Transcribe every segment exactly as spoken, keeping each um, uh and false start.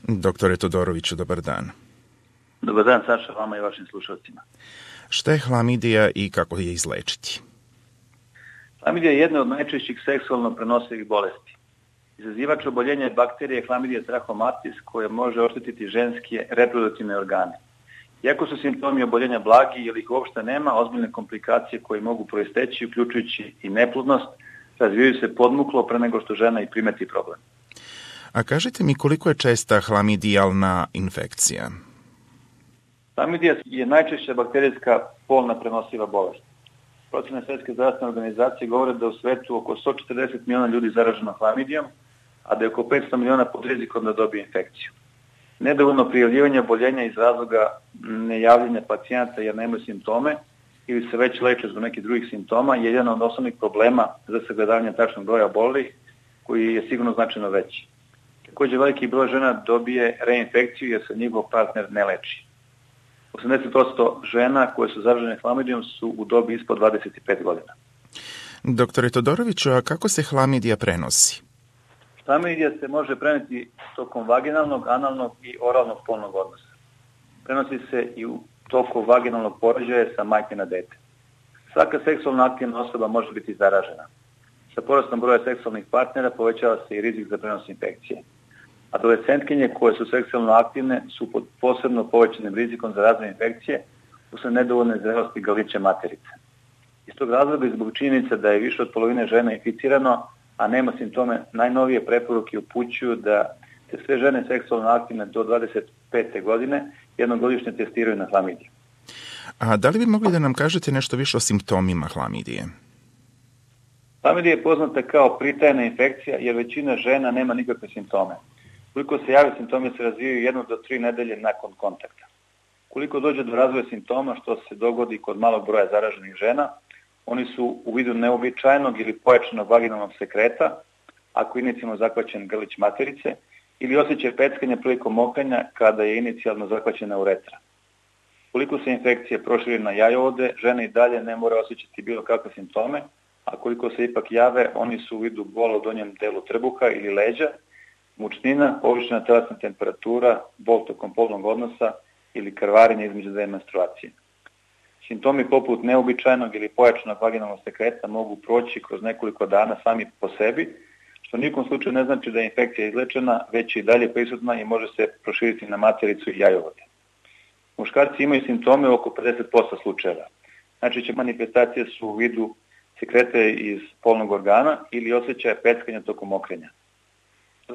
Doktore Todoroviću, dobar dan. Dobar dan, Saša, vama i vašim slušalcima. Šta je hlamidija i kako je izlečiti? Hlamidija je jedna od najčešćih seksualno prenosivih bolesti. Izazivač oboljenja je bakterije Chlamydia trachomatis koja može oštetiti ženske reproduktivne organe. Iako su simptomi oboljenja blagi ili ih uopšte nema, ozbiljne komplikacije koje mogu proisteći, uključujući i neplodnost, razvijaju se podmuklo pre nego što žena i primeti problem. A kažite mi koliko je česta hlamidijalna infekcija? Hlamidija je najčešća bakterijska polna prenosiva bolest. Procene Svetske zdravstvene organizacije govore da u svetu oko sto četrdeset miliona ljudi zaraženo hlamidijom, a da je oko petsto miliona pod rizikom da dobije infekciju. Nedovoljno prijavljivanje oboljenja iz razloga nejavljanja pacijenata jer nemaju simptome ili se već leče zbog nekih drugih simptoma je jedan od osnovnih problema za sagledavanje tačnog broja obolelih, koji je sigurno značajno veći. Također veliki broj žena dobije reinfekciju jer se njihov partner ne leči. osamdeset posto žena koje su zaražene hlamidijom su u dobi ispod dvadeset pet godina. Doktore Todoroviću, a kako se hlamidija prenosi? Hlamidija se može preneti tokom vaginalnog, analnog i oralnog polnog odnosa. Prenosi se i u toku vaginalnog porođaja sa majke na dete. Svaka seksualno aktivna osoba može biti zaražena. Sa porastom broja seksualnih partnera povećava se i rizik za prenos infekcije. Adolescentkinje koje su seksualno aktivne su pod posebno povećanim rizikom za razvoj infekcije usled nedovoljne zrelosti grlića materice. Iz tog razloga i zbog činjenice da je više od polovine žena inficirano, a nema simptome, najnovije preporuke upućuju da se sve žene seksualno aktivne do dvadeset pete godine jednogodišnje testiraju na hlamidiju. A da li bi mogli da nam kažete nešto više o simptomima hlamidije? Hlamidija je poznata kao pritajna infekcija jer većina žena nema nikakve simptome. Koliko se javi, simptomi se razvijaju jednu do tri nedelje nakon kontakta. Koliko dođe do razvoja simptoma, što se dogodi kod malog broja zaraženih žena, oni su u vidu neobičajnog ili pojačanog vaginalnog sekreta, ako je inicijalno zahvaćen grlić materice, ili osjećaj peckanja prilikom mokrenja kada je inicijalno zahvaćena uretra. Koliko se infekcije proširi na jajovode, žene i dalje ne mora osjećati bilo kakve simptome, a koliko se ipak jave, oni su u vidu bola u donjem delu trbuha ili leđa, mučnina, povišena telesna temperatura, bol tokom polnog odnosa ili krvarenje između dve menstruacije. Simptomi poput neobičajnog ili pojačanog vaginalnog sekreta mogu proći kroz nekoliko dana sami po sebi, što u nikom slučaju ne znači da je infekcija izlečena, već je i dalje prisutna i može se proširiti na matericu i jajovode. Muškarci imaju simptome u oko pedeset posto slučajeva. Najčešće manifestacije su u vidu sekrete iz polnog organa ili osjećaja peckanja tokom mokrenja.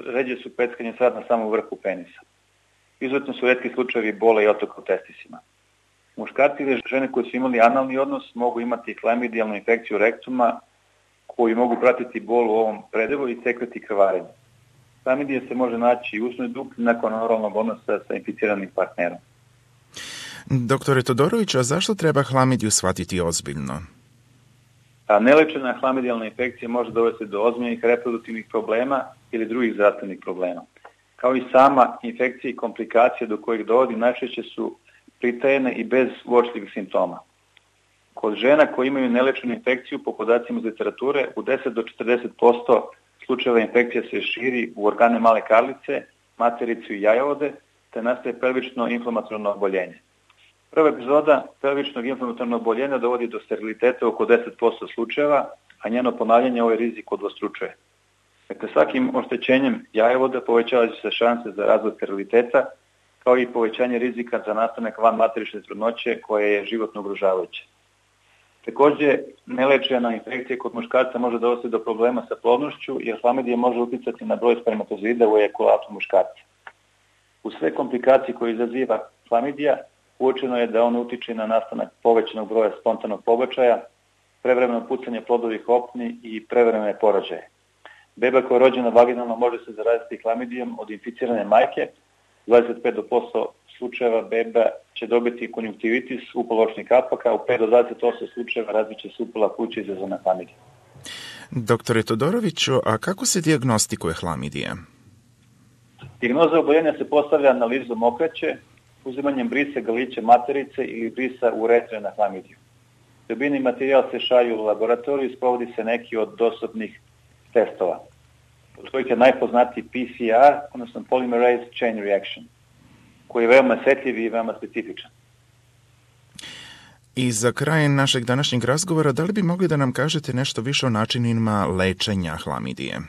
Ređe su peckanje sad na samom vrhu penisa. Izuzetno su retki slučajevi bola i otoka u testisima. Muškarci ili žene koji su imali analni odnos mogu imati klamidijalnu infekciju rektuma koji mogu pratiti bol u ovom predelu i sekreti krvarenje. Klamidija se može naći i u usnoj dupli nakon oralnog odnosa sa inficiranim partnerom. Doktore Todorović, a zašto treba hlamidiju shvatiti ozbiljno? A nelečena hlamidjalna infekcija može dovesti do ozbiljnih reproduktivnih problema ili drugih zdravstvenih problema. Kao i sama infekcija i komplikacije do kojih dovodi najčešće su pritajene i bez uočljivih simptoma. Kod žena koje imaju nelečenu infekciju, po podacima iz literature, u deset do četrdeset posto slučajeva infekcija se širi u organe male karlice, matericu i jajovode, te nastaje pelvično inflamatorno oboljenje. Prva epizoda pelvičnog inflamatornog oboljenja dovodi do steriliteta oko deset posto slučajeva, a njeno ponavljanje ovaj rizik udvostručuje. Dakle, svakim oštećenjem jajovoda povećavaju se šanse za razvoj steriliteta, kao i povećanje rizika za nastanak vanmaterične trudnoće koje je životno ugrožavajuće. Također, nelečena infekcija kod muškarca može dovesti do problema sa plodnošću, jer hlamidija može uticati na broj spermatozoida u ejakulatu muškarca. U sve komplikacije koje izaziva hlamidija, uočeno je da on utiče na nastanak povećanog broja spontanog pobačaja, prevremeno pucanje plodovih opni i prevremene porođaje. Beba koja je rođena vaginalno može se zaraziti hlamidijom od inficirane majke. dvadeset pet posto slučajeva beba će dobiti konjunktivitis upaločnih kapaka, u pet do dvadeset osam slučajeva razviće se upala pluća izazvana hlamidijom. Doktore Todoroviću, a kako se dijagnostikuje hlamidija? Dijagnoza oboljenja se postavlja analizom okraće, uzimanjem brisa grlića materice ili brisa uretre na hlamidiju. Dobijeni materijal se šalju u laboratoriju i sprovodi se neki od dostupnih testova. od kojih je najpoznatiji P C R, odnosno Polymerase Chain Reaction, koji je veoma osjetljiv i veoma specifičan. I za kraj našeg današnjeg razgovora, da li bi mogli da nam kažete nešto više o načinima lečenja hlamidije?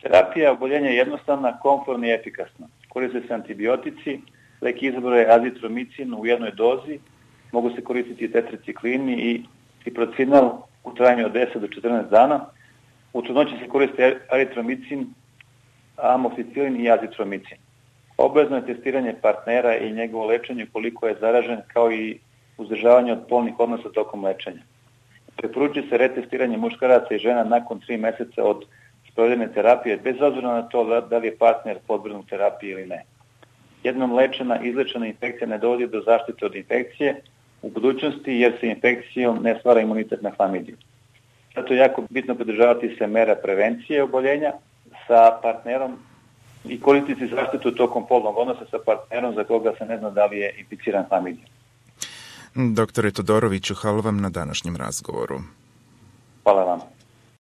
Terapija oboljenja je jednostavna, komfortna i efikasna. Koriste se antibiotici, lek izbora je azitromicin u jednoj dozi, mogu se koristiti tetriciklini i ciprocinal u trajanju od deset do četrnaest dana. U trudnoći se koriste eritromicin, amoxicilin i azitromicin. Obavezno je testiranje partnera i njegovo lečenje koliko je zaražen, kao i uzdržavanje od polnih odnosa tokom lečenja. Preporučuje se retestiranje muškaraca i žena nakon tri meseca od sprovedene terapije, bez obzira na to da li je partner podvrgnut terapiji ili ne. Jednom lečena, izlečena infekcija ne dovodi do zaštite od infekcije u budućnosti, jer se infekcijom ne stvara imunitet na hlamidiju. Zato je jako bitno pridržavati se mera prevencije oboljenja sa partnerom i koristiti zaštitu tokom polnog odnosa sa partnerom za koga se ne zna da li je inficiran hlamidijom. Doktore Todoroviću, hvala vam na današnjem razgovoru. Hvala vam.